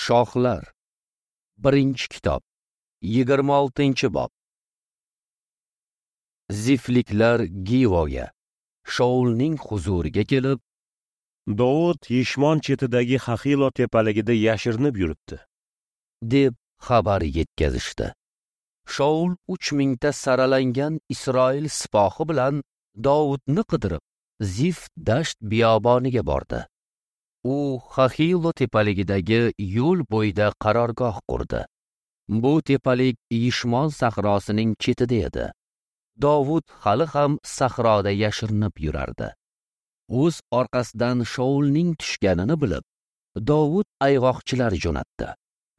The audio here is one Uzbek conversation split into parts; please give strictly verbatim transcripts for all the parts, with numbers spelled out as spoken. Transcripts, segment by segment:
Shohlar. Birinchi kitob, yigirma oltinchi bob. Zifliklar Givoga, Shaulning huzuriga kelib, Dovud Yishmon chetidagi Xaxilo tepaligida yashirinib yuribdi, deb xabar yetkazishdi. Shaul uch mingta saralangan Isroil sipohi bilan Dovudni qidirib, Zif dasht biyoboniga bordi. U Xaxilo tepaligidagi yo'l bo'yida qarorgoh qurdi. Bu tepalik Yishmon sahrosining chetida edi. Dovud hali ham sahroda yashirinib yurardi. O'z orqasidan Shaulning tushganini bilib, Dovud ayg'oqchilar jo'natdi.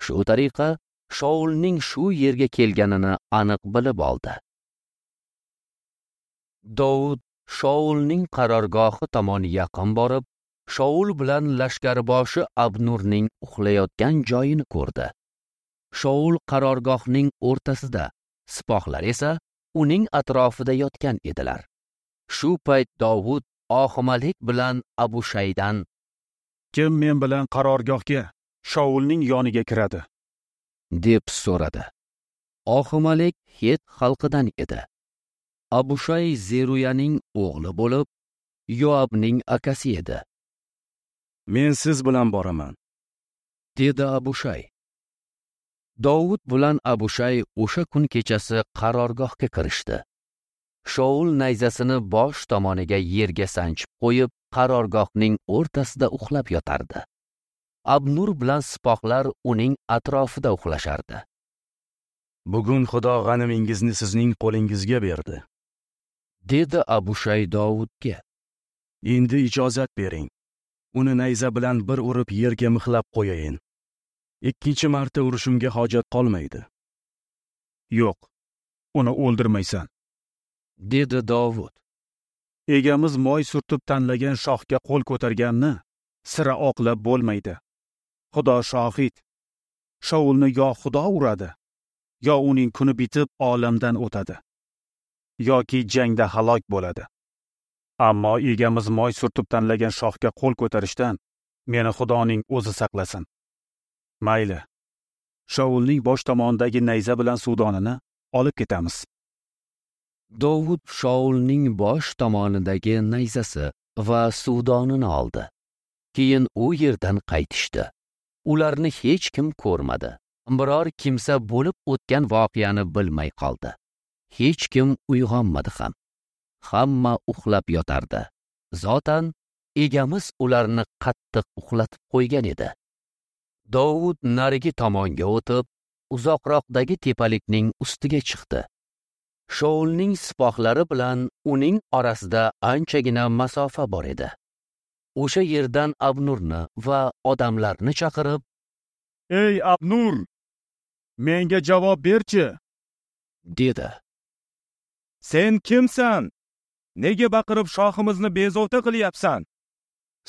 Shu tariqa Shaulning shu yerga kelganini aniq bilib oldi. Dovud Shaulning qarorgohi tomon yaqin borib, Shaul bilan lashkarboshi Abnurning uxlayotgan joyini ko'rdi. Shaul qarorgohning o'rtasida, sipohlar esa uning atrofida yotgan edilar. Shu payt Dovud Ohimalik bilan Abushaydan: "Kim men bilan qarorgohga, Shaulning yoniga kiradi?" deb so'radi. Ohimalik Het xalqidan edi. Abushay Zeruyaning o'g'li bo'lib, Yoabning akasi edi. "Men siz bilan boraman", dedi Abushay. Dovud bilan Abushay o'sha kun kechasi qarorgohga kirishdi. Shaul nayzasini bosh tomoniga yerga sanchib qo'yib, qarorgohning o'rtasida uxlab yotardi. Abnur bilan sipohlar uning atrofida uxlashardi. "Bugun Xudo g'animingizni sizning qo'lingizga berdi", dedi Abushay Dovudga. "Endi ijozat bering. Uni nayza bilan bir urib yerga mixlab qo'yayin. Ikkinchi marta urishimga hojat qolmaydi." "Yo'q, uni o'ldirmaysan", dedi Dovud. "Egamiz moy surtib tanlagan shohga qo'l ko'targanni sira oqlab bo'lmaydi. Xudo shohid. Shaulni yo Xudo uradi, yo uning kuni bitib olamdan o'tadi, yoki jangda halok bo'ladi. Ammo egamiz moy surtib tanlagan shohga qo'l ko'tarishdan meni Xudoning o'zi saqlasin. Mayli, Shaulning bosh tomonidagi nayza bilan suvdonini olib ketamiz." Dovud Shaulning bosh tomonidagi nayzasi va suvdonini oldi. Keyin u yerdan qaytishdi. Ularni hech kim ko'rmadi. Biror kimsa bo'lib o'tgan voqeani bilmay qoldi. Hech kim uyg'onmadi ham. Hamma uxlab yotardi. Zotan egamiz ularni qattiq uxlatib qo'ygan edi. Dovud narigi tomonga o'tib, uzoqroqdagi tepalikning ustiga chiqdi. Shaulning sipohlari bilan uning orasida anchagina masofa bor edi. O'sha yerdan Abnurni va odamlarni chaqirib, "Ey Abnur, menga javob berchi", dedi. "Sen kimsan? Nega baqirib shohimizni bezovta qilyapsan?"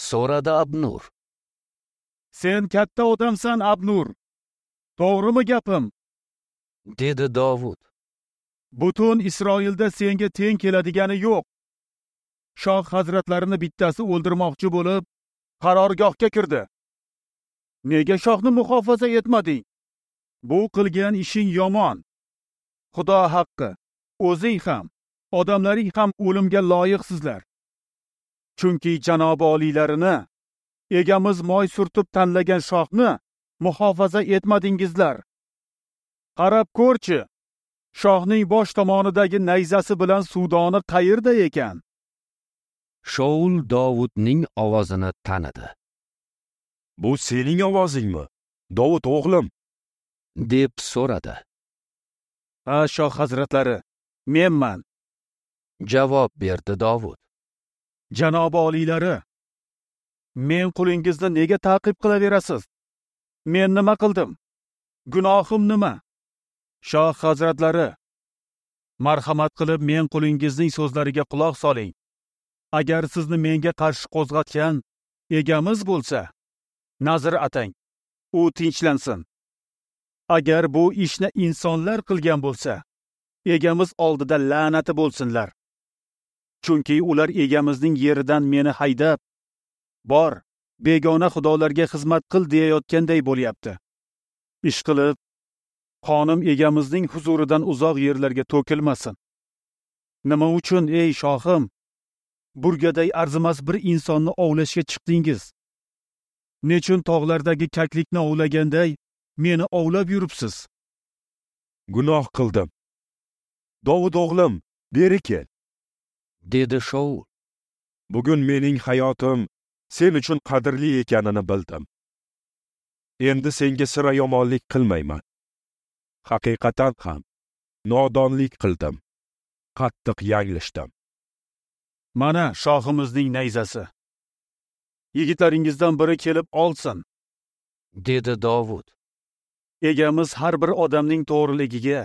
so'radi Abnur. "Sen katta odamsan, Abnur. To'g'rimi gapim?" dedi Dovud. "Butun Isroilda senga teng keladigani yo'q. Shoh hazratlarini bittasi o'ldirmoqchi bo'lib, qarorgohga kirdi. Nega shohni muhofaza etmading? Bu qilgan ishing yomon. Xudo haqqi, o'zing ham, odamlaring ham o'limga loyiqsizlar. Chunki janobi oliylarini, egamiz moy surtib tanlagan shohni muhofaza etmadingizlar. Qarab ko'rchi, shohning bosh tomonidagi nayzasi bilan suvdoni qayerda ekan?" Shaul Dovudning ovozini tanidi. "Bu sening ovozingmi, Dovud o'g'lim?" deb so'radi. "Ha, shoh hazratlari, menman", javob berdi Dovud. "Janobi oliylari, men qulingizni nega ta'qib qilaverasiz? Men nima qildim? Gunohim nima? Shoh hazratlari, marhamat qilib men qulingizning so'zlariga quloq soling. Agar sizni menga qarshi qo'zg'atgan egamiz bo'lsa, nazr atang, u tinchlansin. Agar bu ishni insonlar qilgan bo'lsa, egamiz oldida la'nati bo'lsinlar. Chunki ular egamizning yeridan meni haydab, bor, begona xudolarga xizmat qil deyayotganday bo'lyapti. Ishqilib, qonim egamizning huzuridan uzoq yerlarga to'kilmasin. Nima uchun, ey shohim, burgaday arzimas bir insonni ovlashga chiqdingiz? Nechun tog'lardagi kaklikni ovlaganday meni ovlab yuribsiz? Gunoh qildim. Dovud o'g'lim, beri kel, dedi Shaul. Bugun mening hayotim sen uchun qadrli ekanini bildim. Endi senga sira yomonlik qilmayman. Haqiqatan ham nodonlik qildim. Qattiq yanglishdim. Mana shohimizning nayzasi. Yigitlaringizdan biri kelib olsin, dedi Dovud. Egamiz har bir odamning to'g'riligiga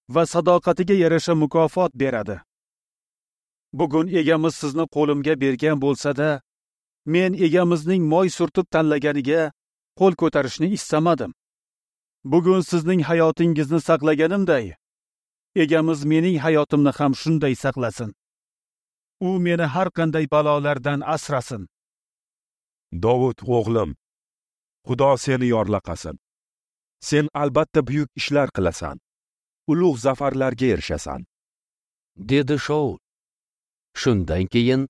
va sadoqatiga yarasha mukofot beradi. Bugun egamiz sizni qo'limga bergan bo'lsa-da, men egamizning moy surtib tanlaganiga qo'l ko'tarishni istamadim. Bugun sizning hayotingizni saqlaganimday, egamiz mening hayotimni ham shunday saqlasin. U meni har qanday balolardan asrasin. Dovud o'g'lim, Xudo seni yorlaqasin. Sen albatta buyuk ishlar qilasan. Ulug' zafarlarga erishasan, dedi Shaul. Shundan keyin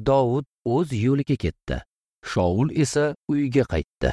Dovud o'z yo'liga ketdi. Shaul esa uyga qaytdi.